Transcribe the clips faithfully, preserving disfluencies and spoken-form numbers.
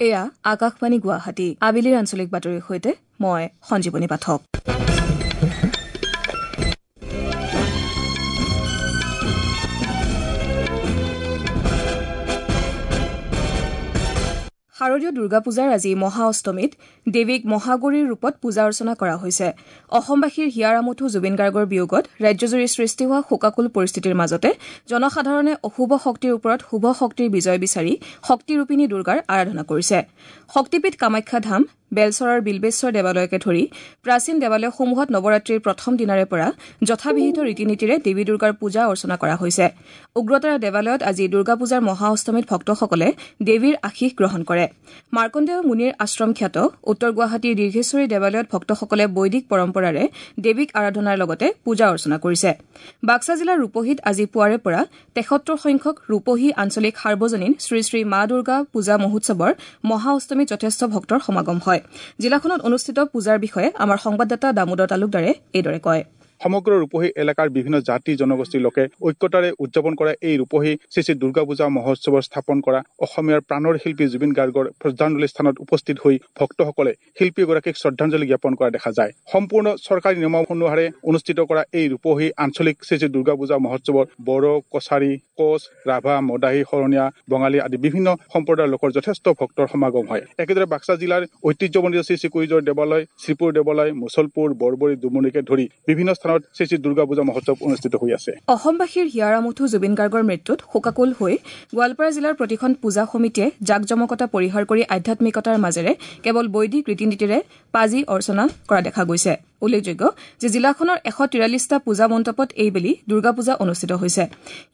এয়া আকাশবাণী গুৱাহাটী। আবেলিৰ আঞ্চলিক বাতৰিৰ সৈতে মই সঞ্জীৱনী পাঠক। শাৰদীয় দুৰ্গা পূজাৰ আজি মহা অষ্টমীত দেৱীক মহাগৌৰীৰ ৰূপত পূজা অৰ্চনা কৰা হৈছে। অসমবাসীৰ হিয়াৰ আমঠু জুবিন গাৰ্গৰ বিয়োগত ৰাজ্যজুৰি সৃষ্টি হোৱা শোকাকুল পৰিস্থিতিৰ মাজতে জনসাধাৰণে অশুভ শক্তিৰ ওপৰত শুভ শক্তিৰ বিজয় বিচাৰি শক্তিৰূপিণী দুৰ্গাৰ আৰাধনা কৰিছে। শক্তিপীঠ কামাখ্যা ধাম, বেলচৰৰ বিল্বেশ্বৰ দেৱালয়কে ধৰি প্ৰাচীন দেৱালয়সমূহত নৱৰাত্ৰিৰ প্ৰথম দিনাৰে পৰা যথাবিহিত ৰীতি নীতিৰে দেৱী দুৰ্গাৰ পূজা অৰ্চনা কৰা হৈছে। উগ্ৰতাৰা দেৱালয়ত আজি দুৰ্গা পূজাৰ মহা অষ্টমীত ভক্তসকলে দেৱীৰ আশীষ গ্ৰহণ কৰে। মাৰ্কণ্ডেয় মুনিৰ আশ্ৰম খ্যাত উত্তৰ গুৱাহাটীৰ দীৰ্ঘেশ্বৰী দেৱালয়ত ভক্তসকলে বৈদিক পৰম্পৰাৰে দেৱীক আৰাধনাৰ লগতে পূজা অৰ্চনা কৰিছে। বাক্সা জিলাৰ ৰূপহীত আজি পুৱাৰে পৰা তেসত্তৰ সংখ্যক ৰূপহী আঞ্চলিক সাৰ্বজনীন শ্ৰীশ্ৰী মা দুৰ্গা পূজা মহোৎসৱৰ মহা অষ্টমীত যথেষ্ট ভক্তৰ সমাগম হয়। জিলাখনত অনুষ্ঠিত পূজাৰ বিষয়ে আমাৰ সংবাদদাতা দামোদৰ তালুকদাৰে এইদৰে কয়। সমগ্ৰ ৰূপহী এলেকাৰ বিভিন্ন জাতি জনগোষ্ঠীৰ লোকে ঐক্যতাৰে উদযাপন কৰা এই ৰূপহী শ্ৰী শ্ৰী দুৰ্গা পূজা মহোৎসৱৰ স্থাপন কৰা অসমীয়াৰ প্ৰাণৰ শিল্পী জুবিন গাৰ্গৰ শ্ৰদ্ধাঞ্জলি স্থানত উপস্থিত হৈ ভক্তসকলে শিল্পীগৰাকীক শ্ৰদ্ধাঞ্জলি জ্ঞাপন কৰা দেখা যায়। সম্পূৰ্ণ চৰকাৰী নিয়ম অনুসাৰে অনুষ্ঠিত কৰা এই ৰূপহী আঞ্চলিক শ্ৰী শ্ৰী দুৰ্গা পূজা মহোৎসৱৰ বড়ো, কছাৰী, কোচ, ৰাভা, মদাহী, শৰণীয়া, বঙালী আদি বিভিন্ন সম্প্ৰদায়ৰ লোকৰ যথেষ্ট ভক্তৰ সমাগম হয়। একেদৰে বাক্সা জিলাৰ ঐতিহ্যমণ্ডিত শ্ৰী শ্ৰী কুইজৰ দেৱালয়, শ্ৰীপুৰ দেৱালয়, মুছলপুৰ, বৰবৰী, দুমনিকে ধৰি বিভিন্ন স্থানত শ্ৰী শ্ৰী দুৰ্গা পূজা মহোৎসৱ অনুষ্ঠিত হৈ আছে। অসমবাসীৰ হিয়াৰ আমঠু জুবিন গাৰ্গৰ মৃত্যুত শোকাকুল হৈ গোৱালপাৰা জিলাৰ প্ৰতিখন পূজা সমিতিয়ে জাকজমকতা পৰিহাৰ কৰি আধ্যাত্মিকতাৰ মাজেৰে কেৱল বৈদিক ৰীতি নীতিৰে পাজি অৰ্চনা কৰা দেখা গৈছে। উল্লেখযোগ্য যে জিলাখনৰ এশ তিৰাল্লিছটা পূজা মণ্ডপত এইবেলি দুৰ্গা পূজা অনুষ্ঠিত হৈছে।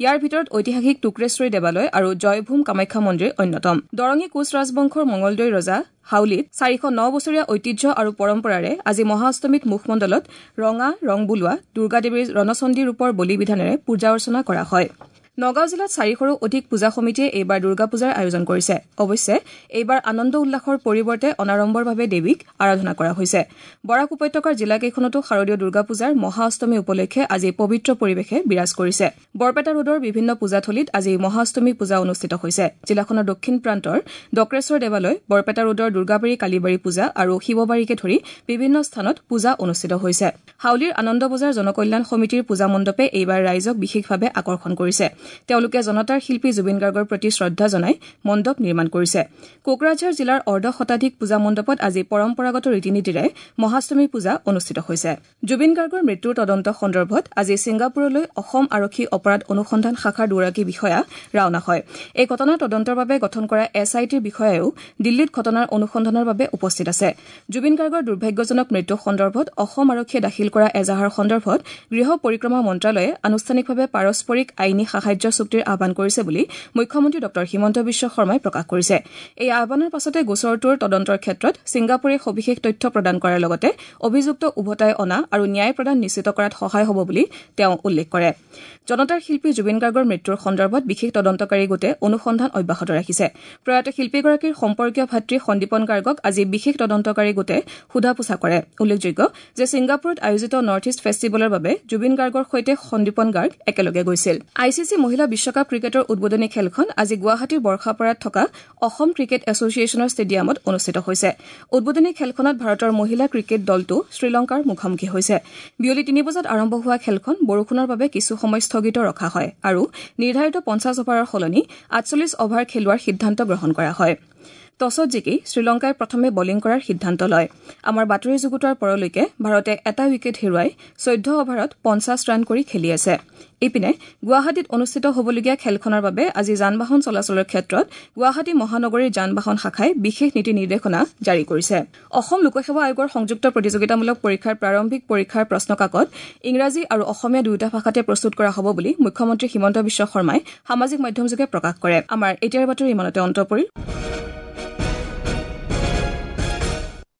ইয়াৰ ভিতৰত ঐতিহাসিক টুক্ৰেশ্বৰী দেৱালয় আৰু জয়ভূম কামাখ্যা মন্দিৰ অন্যতম। দৰঙী কোচ ৰাজবংশৰ মঙলদৈ ৰজা হাউলীত চাৰিশ ন বছৰীয়া ঐতিহ্য আৰু পৰম্পৰাৰে আজি মহাঅষ্টমীত মুখমণ্ডলত ৰঙা ৰং বোলোৱা দুৰ্গা দেৱীৰ ৰণচণ্ডী ৰূপৰ বলি বিধানেৰে পূজা অৰ্চনা কৰা হয়। নগাঁও জিলাত চাৰিশৰো অধিক পূজা সমিতিয়ে এইবাৰ দুৰ্গা পূজাৰ আয়োজন কৰিছে। অৱশ্যে এইবাৰ আনন্দ উল্লাসৰ পৰিৱৰ্তে অনাড়ম্বৰভাৱে দেৱীক আৰাধনা কৰা হৈছে। বৰাক উপত্যকাৰ জিলাকেইখনতো শাৰদীয় দুৰ্গা পূজাৰ মহা অষ্টমী উপলক্ষে আজি পবিত্ৰ পৰিৱেশে বিৰাজ কৰিছে। বৰপেটা ৰোডৰ বিভিন্ন পূজাথলীত আজি মহাঅষ্টমী পূজা অনুষ্ঠিত হৈছে। জিলাখনৰ দক্ষিণ প্ৰান্তৰ ডক্ৰেশ্বৰ দেৱালয়, বৰপেটা ৰোডৰ দুৰ্গাবাৰী কালীবাৰী পূজা আৰু শিৱবাৰীকে ধৰি বিভিন্ন স্থানত পূজা অনুষ্ঠিত হৈছে। হাউলীৰ আনন্দ বজাৰ জনকল্যাণ সমিতিৰ পূজা মণ্ডপে এইবাৰ ৰাইজক বিশেষভাৱে আকৰ্ষণ কৰিছে। তেওঁলোকে জনতাৰ শিল্পী জুবিন গাৰ্গৰ প্ৰতি শ্ৰদ্ধা জনাই মণ্ডপ নিৰ্মাণ কৰিছে। কোকৰাঝাৰ জিলাৰ অৰ্ধ শতাধিক পূজা মণ্ডপত আজি পৰম্পৰাগত ৰীতি নীতিৰে মহাষ্টমী পূজা অনুষ্ঠিত হৈছে। জুবিন গাৰ্গৰ মৃত্যুৰ তদন্ত সন্দৰ্ভত আজি ছিংগাপুৰলৈ অসম আৰক্ষী অপৰাধ অনুসন্ধান শাখাৰ দুগৰাকী বিষয়া ৰাওনা হয়। এই ঘটনাৰ তদন্তৰ বাবে গঠন কৰা এছ I টিৰ বিষয়ায়ো দিল্লীত ঘটনাৰ অনুসন্ধানৰ বাবে উপস্থিত আছে। জুবিন গাৰ্গৰ দুৰ্ভাগ্যজনক মৃত্যু সন্দৰ্ভত অসম আৰক্ষীয়ে দাখিল কৰা এজাহাৰ সন্দৰ্ভত গৃহ পৰিক্ৰমা মন্ত্ৰালয়ে আনুষ্ঠানিকভাৱে পাৰস্পৰিক আইনী সাহায্য চুক্তিৰ আহ্বান কৰিছে বুলি মুখ্যমন্ত্ৰী ডঃ হিমন্ত বিশ্ব শৰ্মাই প্ৰকাশ কৰিছে। এই আহ্বানৰ পাছতে গোচৰটোৰ তদন্তৰ ক্ষেত্ৰত ছিংগাপুৰে সবিশেষ তথ্য প্ৰদান কৰাৰ লগতে অভিযুক্ত উভতাই অনা আৰু ন্যায় প্ৰদান নিশ্চিত কৰাত সহায় হ'ব বুলি তেওঁ উল্লেখ কৰে। জনতাৰ শিল্পী জুবিন গাৰ্গৰ মৃত্যুৰ সন্দৰ্ভত বিশেষ তদন্তকাৰী গোটে অনুসন্ধান অব্যাহত ৰাখিছে। প্ৰয়াত শিল্পীগৰাকীৰ সম্পৰ্কীয় ভাতৃ সন্দীপন গাৰ্গক আজি বিশেষ তদন্তকাৰী গোটে সোধা পোছা কৰে। উল্লেখযোগ্য যে ছিংগাপুৰত আয়োজিত নৰ্থ ইষ্ট ফেষ্টিভেলৰ বাবে জুবিন গাৰ্গৰ সৈতে সন্দীপন গাৰ্গ একেলগে গৈছিল। I C C মহিলা বিশ্বকাপ ক্ৰিকেটৰ উদ্বোধনী খেলখন আজি গুৱাহাটীৰ বৰ্ষাপাৰাত থকা অসম ক্ৰিকেট এছ'চিয়েশ্যনৰ ষ্টেডিয়ামত অনুষ্ঠিত হৈছে। উদ্বোধনী খেলখনত ভাৰতৰ মহিলা ক্ৰিকেট দলটো শ্ৰীলংকাৰ মুখামুখি হৈছে। বিয়লি তিনি বজাত আৰম্ভ হোৱা খেলখন বৰষুণৰ বাবে কিছু সময় স্থগিত ৰখা হয় আৰু নিৰ্ধাৰিত পঞ্চাছ অভাৰৰ সলনি আঠচল্লিছ অভাৰ খেলোৱাৰ সিদ্ধান্ত গ্ৰহণ কৰা হয়। টছত জিকি শ্ৰীলংকাই প্ৰথমে বলিং কৰাৰ সিদ্ধান্ত লয়। আমাৰ বাতৰি যুগুতোৱাৰ পৰলৈকে ভাৰতে এটা উইকেট হেৰুৱাই চৈধ্য অভাৰত পঞ্চাছ ৰান কৰি খেলি আছে। ইপিনে গুৱাহাটীত অনুষ্ঠিত হ'বলগীয়া খেলখনৰ বাবে আজি যান বাহন চলাচলৰ ক্ষেত্ৰত গুৱাহাটী মহানগৰীৰ যান বাহন শাখাই বিশেষ নীতি নিৰ্দেশনা জাৰি কৰিছে। অসম লোকসেৱা আয়োগৰ সংযুক্ত প্ৰতিযোগিতামূলক পৰীক্ষাৰ প্ৰাৰম্ভিক পৰীক্ষাৰ প্ৰশ্নকাকত ইংৰাজী আৰু অসমীয়া দুয়োটা ভাষাতে প্ৰস্তুত কৰা হ'ব বুলি মুখ্যমন্ত্ৰী হিমন্ত বিশ্ব শৰ্মাই সামাজিক মাধ্যমযোগে প্ৰকাশ কৰে। আমাৰ এতিয়াৰ বাতৰি ইমানতে অন্ত পৰিল।